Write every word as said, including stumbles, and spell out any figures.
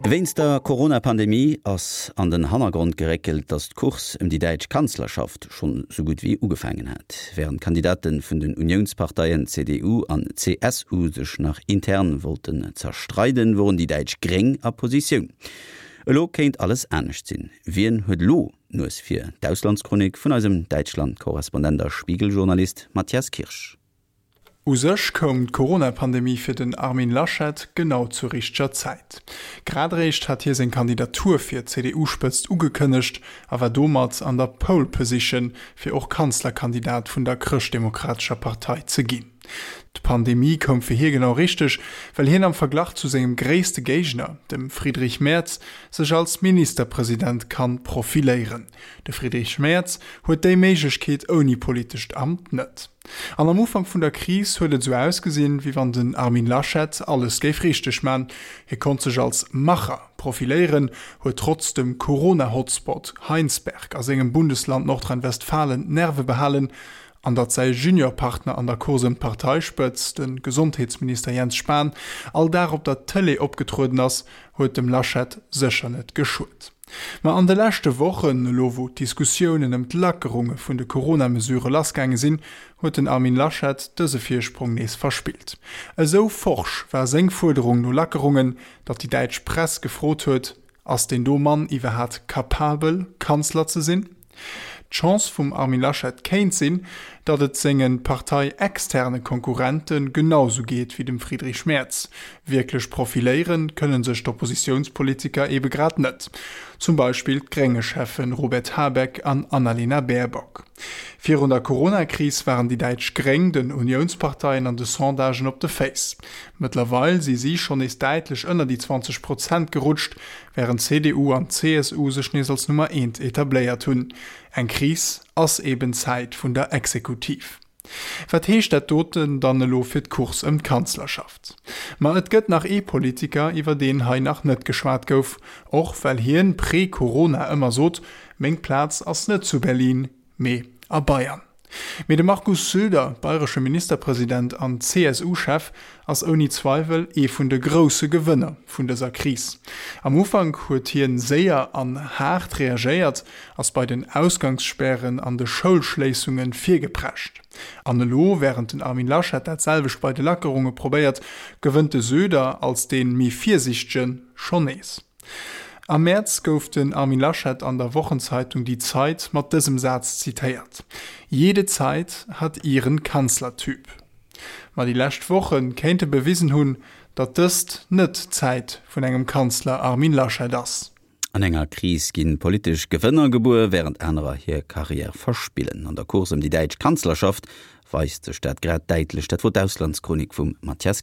Wéinst der Corona-Pandemie ass an den Hannergrond geréckelt, datt d'Course ëm déi däitsch Kanzlerschaft schonn sou gutt wéi ugefaangen hat. Wärend d'Kandidate vun den Uniounsparteien C D U an C S U sech nach intern wollten zerstreiden, woren déi däitsch Gréng a Positioun. Elo kéint alles anescht sinn. Wien huet elo d'Nues vir? D'Auslandschronik vun eisem Däitschland-Korrespondent a Spiegel-Journalist Matthias Kirsch. U sech koum d'Corona-Pandemie fir den Armin Laschet genau zur richteger Zäit. Grad eréischt hat hie seng Kandidatur fir d'C D U-Spëtzt ugekënnegt a war domat an der Pole Position, fir och Kanzlerkandidat vun der Chrëschtdemokratescher Partei ze ginn. D'Pandemie koum fir hie genau richteg, well hien am Verglach zu sengem gréisste Géigner, dem Friedrich Merz, sech als Ministerpresident kann profiléieren. De Friedrich Merz huet déi Méiglechkeet ouni politescht Amt net. An am Ufank vun der Kris huet et sou ausgesinn, wéi wann den Armin Laschet alles géif richteg man. Hie konnt sech als Macher profiléieren, huet trotz dem Corona-Hotspot Heinsberg a sengem Bundesland Nordrhein-Westfalen d'Nerve behalen, an datt säi Juniorpartner an der Course ëm d'Parteispëtzt, de Gesondheetsminister Jens Spahn, all Dag op der Tëlee opgetrueden ass, huet dem Laschet sécher net geschuet. Ma an de leschte Wochen, elo wou d'Diskussiounen ëm d'Lackerunge vun de Corona-Mesurë lassgaange sinn, huet den Armin Laschet dëse Virsprong nees verspillt. Esou forsch war seng Fuerderung no Lackerungen, datt déi däitsch Press gefrot huet, Ass deen do Mann iwwerhaat kapabel, Kanzler ze sinn? D'Chance vum Armin Laschet kéint sinn, datt et senge parteiexterne Konkurrente genau sou geet wéi dem Friedrich Merz. Wierklech profiléiere kënne sech d'Oppositiounspolitiker ebe grad net. Zum Beispill d'Grénge-Cheffen Robert Habeck an Annalena Baerbock. Virun der Corona-Kris waren déi däitsch Gréng den Uniounsparteien an de Sondagen op de Féiss. Mëttlerweil si si schonn nees däitlech ënner déi zwanzeg Prozent gerutscht, wärend C D U an C S U sech nees als Nummer eent etabléiert hunn. Eng Kris ass eben d'Zäit vun der Exekutiv. Wat heescht dat doten dann elo fir d'Course ëm d'Kanzlerschaft? Ma et gëtt nach ee Politiker, iwwer deen hei nach net geschwat gouf, och well hien pre-Corona ëmmer sot, Meng Plaz ass net zu Berlin, mee a Bayern. Mee de Markus Söder, bayresche Ministerpresident an C S U-Chef, ass ouni Zweiwel ee vun de grousse Gewënner vun dëser Kris. Am Ufank huet hien séier an haart reagéiert, ass bei den Ausgangsspären an de Schoulschléissunge virgeprescht. An elo, wärend den Armin Laschet dat selwecht bei de Lackerunge probéiert, gewënnt de Söder als dee méi Virsiichtegen schonn nees. Am Mäerz gouf den Armin Laschet an der Wochenzeitung Die Zeit mat dësem Saz zitéiert, Jede Zeit hat ihren Kanzlertyp. Ma déi lescht Woche kéinte bewisen hunn, datt dëst net d'Zäit vun engem Kanzler Armin Laschet ass. An enger Kris ginn politesch Gewënner gebuer, wärend anerer hir Karriär verspillen. An der Course ëm déi däitsch Kanzlerschaft weist sech dat grad däitlech. Dat wor d'Auslandschronik vum Matthias Kirsch.